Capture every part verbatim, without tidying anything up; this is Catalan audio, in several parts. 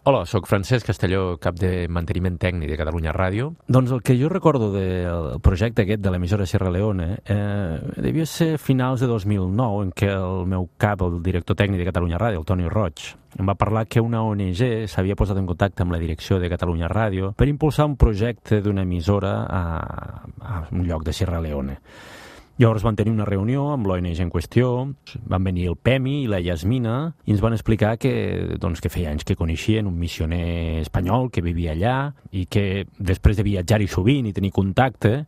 Hola, sóc Francesc Castelló, cap de manteniment tècnic de Catalunya Ràdio. Doncs el que jo recordo del projecte aquest de l'emissora Sierra Leone eh, devia ser finals de dos mil nou, en què el meu cap, el director tècnic de Catalunya Ràdio, el Toni Roig, em va parlar que una O N G s'havia posat en contacte amb la direcció de Catalunya Ràdio per impulsar un projecte d'una emissora a, a un lloc de Sierra Leone. Llavors van tenir una reunió amb l'O N G en qüestió, van venir el Pemi i la Yasmina i ens van explicar que, doncs, que feia anys que coneixien un missioner espanyol que vivia allà i que després de viatjar-hi sovint i tenir contacte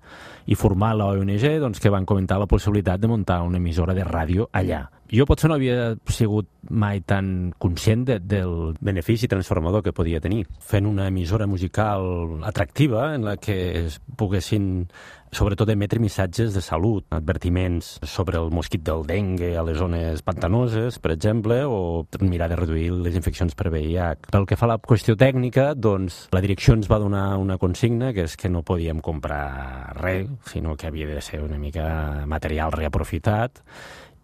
i formar la O N G, doncs, que van comentar la possibilitat de muntar una emissora de ràdio allà. Jo potser no havia sigut mai tan conscient de, del benefici transformador que podia tenir, fent una emissora musical atractiva en la que es poguessin sobretot emetre missatges de salut, advertiments sobre el mosquit del dengue a les zones pantanoses, per exemple, o mirar de reduir les infeccions per V I H. Pel que fa a la qüestió tècnica, doncs, la direcció ens va donar una consigna, que és que no podíem comprar res, sinó que havia de ser una mica material reaprofitat.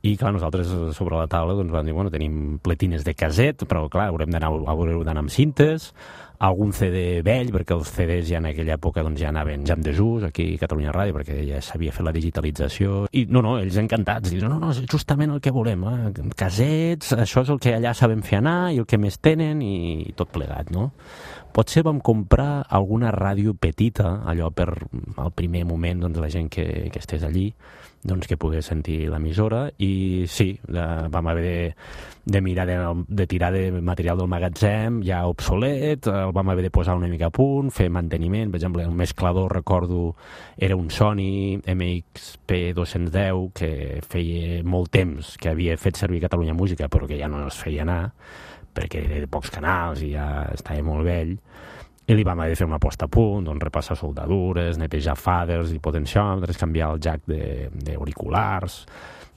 I, clar, nosaltres sobre la taula doncs, vam dir, bueno, tenim pletines de caset, però, clar, haurem d'anar d'anar amb cintes, algun C D vell, perquè els C Ds ja en aquella època doncs, ja anaven ja en desús aquí a Catalunya Ràdio, perquè ja s'havia fet la digitalització. I, no, no, ells encantats, diuen, no, no, és justament el que volem, eh? Casets, això és el que allà sabem fer anar i el que més tenen i tot plegat, no? Potser vam comprar alguna ràdio petita, allò per al primer moment, doncs, la gent que, que estés allí, doncs, que pogués sentir l'emissora, i sí, la, vam haver de, de mirar de, de tirar de material del magatzem ja obsolet, el vam haver de posar una mica a punt, fer manteniment. Per exemple, el mesclador, recordo, era un Sony M X P dos-cents deu que feia molt temps que havia fet servir Catalunya Música, però que ja no es feia anar, perquè era de pocs canals i ja estava molt vell. I li vam haver de fer una posta a punt, doncs repassar soldadures, netejar faders i potenciòmetres, canviar el jack d'auriculars,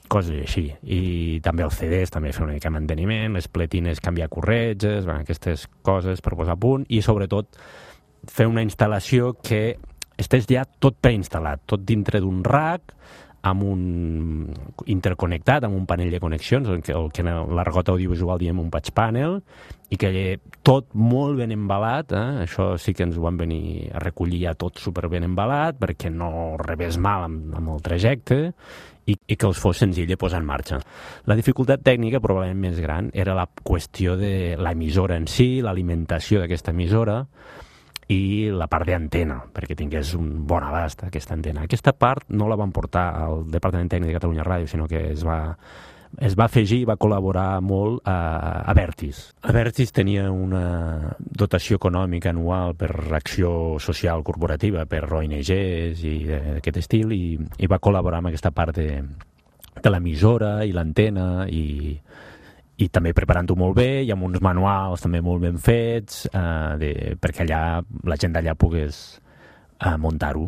coses així. I també els C Ds, també fer una mica de manteniment, les pletines, canviar corretges, bueno, aquestes coses per posar a punt, i sobretot fer una instal·lació que estés ja tot preinstal·lat, tot dintre d'un rack, amb un interconnectat, amb un panell de connexions, el que, el que en l'argot audiovisual diem un patch panel, i que tot molt ben embalat, eh? Això sí que ens ho van venir a recollir ja tot super ben embalat, perquè no rebés mal amb, amb el trajecte, i, i que els fos senzill de posar en marxa. La dificultat tècnica, probablement més gran, era la qüestió de l'emissora en si, l'alimentació d'aquesta emissora, i la part d'antena, perquè tingués un bon abast aquesta antena. Aquesta part no la van portar al Departament Tècnic de Catalunya Ràdio, sinó que es va, es va afegir i va col·laborar molt a, a Vertis. A Vertis tenia una dotació econòmica anual per acció social corporativa, per O N Ges i d'aquest estil, i, i va col·laborar amb aquesta part de, de l'emissora i l'antena, i i també preparant-ho molt bé i amb uns manuals també molt ben fets, eh, de, perquè allà la gent d'allà pogués eh, muntar-ho.